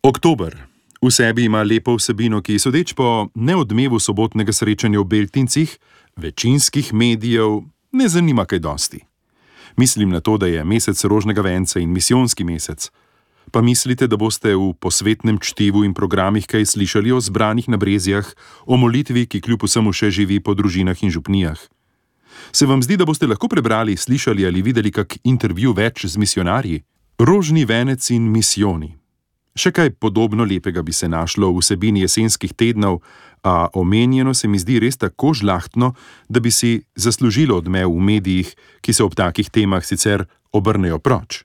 Oktober. V sebi ima lepo vsebino, ki sodeč po neodmevu sobotnega srečanja v Beltincih, večinskih medijev ne zanima kaj dosti. Mislim na to, da je mesec rožnega venca in misijonski mesec. Pa mislite, da boste v posvetnem čtivu in programih kaj slišali o zbranih na brezjah, o molitvi, ki kljub vsemu še živi po družinah in župnijah? Se vam zdi, da boste lahko prebrali, slišali ali videli kak intervju več z misijonarji? Rožni venec in misijoni. Še kaj podobno lepega bi se našlo v vsebini jesenskih tednov, a omenjeno se mi zdi res tako žlahtno, da bi si zaslužilo odmev v medijih, ki se ob takih temah sicer obrnejo proč.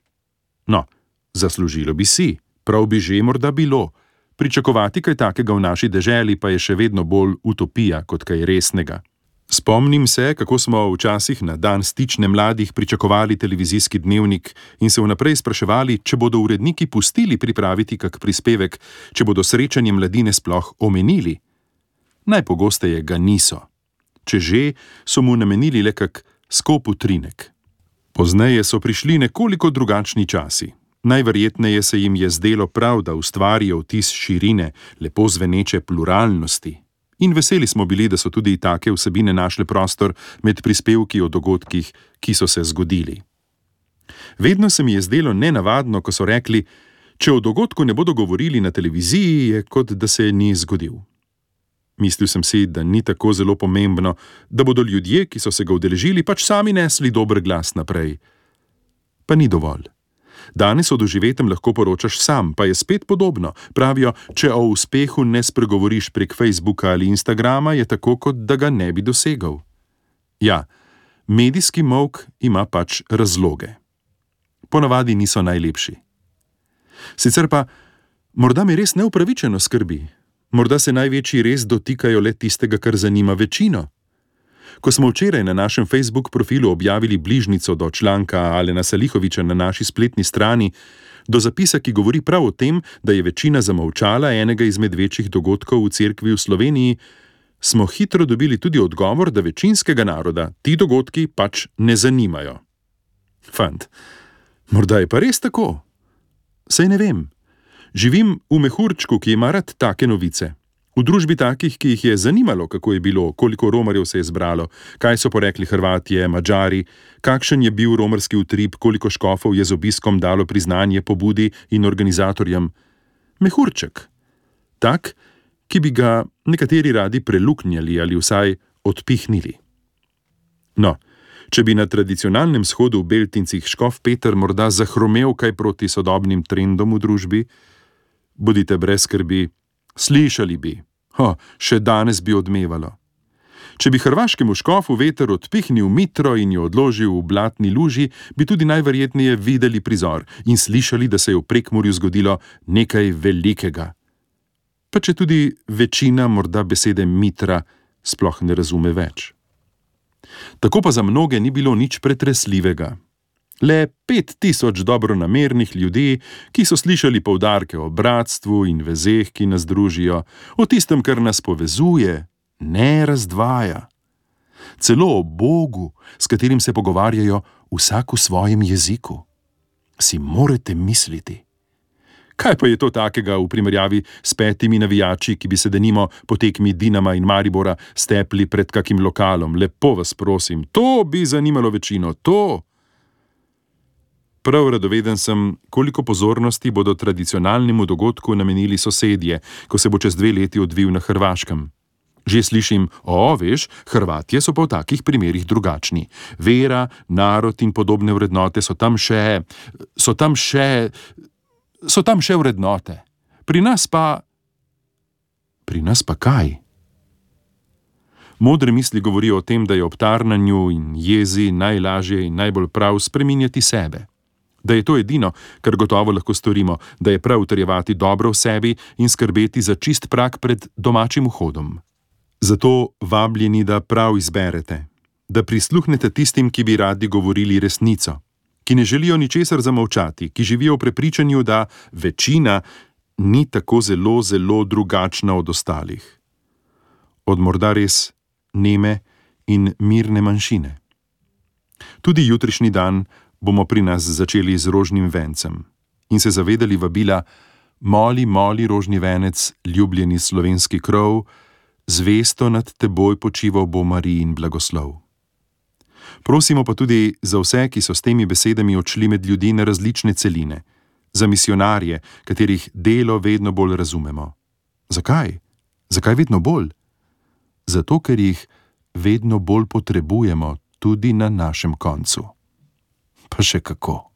No, zaslužilo bi si, prav bi že morda bilo. Pričakovati kaj takega v naši deželi pa je še vedno bolj utopija kot kaj resnega. Spomnim se, kako smo včasih na dan stične mladih pričakovali televizijski dnevnik in se vnaprej spraševali, če bodo uredniki pustili pripraviti kak prispevek, če bodo srečanje mladine sploh omenili. Najpogosteje ga niso. Če že, so mu namenili le kak skop utrinek. Pozneje so prišli nekoliko drugačni časi. Najverjetneje se jim je zdelo prav, da ustvarijo vtis širine, lepo zveneče pluralnosti. In veseli smo bili, da so tudi take vsebine našle prostor med prispevki o dogodkih, ki so se zgodili. Vedno se mi je zdelo nenavadno, ko so rekli, če o dogodku ne bodo govorili na televiziji, je kot da se ni zgodil. Mislil sem si, da ni tako zelo pomembno, da bodo ljudje, ki so se ga udeležili, pač sami nesli dober glas naprej. Pa ni dovolj. Danes o doživetem lahko poročaš sam, pa je spet podobno. Pravijo, če o uspehu ne spregovoriš prek Facebooka ali Instagrama, je tako, kot da ga ne bi dosegal. Ja, medijski molk ima pač razloge. Ponavadi niso najlepši. Sicer pa, morda me res neupravičeno skrbi. Morda se največji res dotikajo le tistega, kar zanima večino. Ko smo včeraj na našem Facebook profilu objavili bližnico do članka Alena Salihoviča na naši spletni strani, do zapisa, ki govori prav o tem, da je večina zamolčala enega izmed večjih dogodkov v cerkvi v Sloveniji, smo hitro dobili tudi odgovor, da večinskega naroda ti dogodki pač ne zanimajo. Fant, morda je pa res tako? Saj ne vem. Živim v mehurčku, ki ima rad take novice. V družbi takih, ki jih je zanimalo, kako je bilo, koliko romarjev se je zbralo, kaj so porekli Hrvatje, Madžari, kakšen je bil romarski utrip, koliko škofov je z obiskom dalo priznanje pobudi in organizatorjem. Mehurček. Tak, ki bi ga nekateri radi preluknjali ali vsaj odpihnili. No, če bi na tradicionalnem shodu v Beltincih škof Peter morda zahromel kaj proti sodobnim trendom v družbi, bodite brez skrbi, slišali bi, še danes bi odmevalo. Če bi hrvaškemu škofu veter odpihnil mitro in jo odložil v blatni luži, bi tudi najverjetneje videli prizor in slišali, da se je v Prekmurju zgodilo nekaj velikega. Pa če tudi večina morda besede mitra sploh ne razume več. Tako pa za mnoge ni bilo nič pretresljivega. Le 5000 dobronamernih ljudi, ki so slišali poudarke o bratstvu in vezeh, ki nas družijo, o tistem, kar nas povezuje, ne razdvaja. Celo o Bogu, s katerim se pogovarjajo vsak v svojem jeziku. Si morate misliti. Kaj pa je to takega v primerjavi s 5 navijači, ki bi se denimo po tekmi Dinama in Maribora stepli pred kakim lokalom? Lepo vas prosim, to bi zanimalo večino, to! Prav radoveden sem, koliko pozornosti bodo tradicionalnemu dogodku namenili sosedje, ko se bo čez 2 leti odvil na Hrvaškem. Že slišim, veš, Hrvatje so pa v takih primerih drugačni. Vera, narod in podobne vrednote so tam še vrednote. Pri nas pa kaj? Modre misli govorijo o tem, da je ob tarnanju in jezi najlažje in najbolj prav spreminjati sebe. Da je to edino, kar gotovo lahko storimo, da je prav utrjevati dobro v sebi in skrbeti za čist prag pred domačim vhodom. Zato vabljeni, da prav izberete, da prisluhnete tistim, ki bi radi govorili resnico, ki ne želijo ničesar zamolčati, ki živijo v prepričanju, da večina ni tako zelo, zelo drugačna od ostalih. Od morda res neme in mirne manjšine. Tudi jutrišnji dan bomo pri nas začeli z rožnim vencem in se zavedali vabila Moli, moli, rožni venec, ljubljeni slovenski krov, zvesto nad teboj počival bo Marijin blagoslov. Prosimo pa tudi za vse, ki so s temi besedami odšli med ljudi na različne celine, za misionarje, katerih delo vedno bolj razumemo. Zakaj? Zakaj vedno bolj? Zato, ker jih vedno bolj potrebujemo tudi na našem koncu. Pa še kako.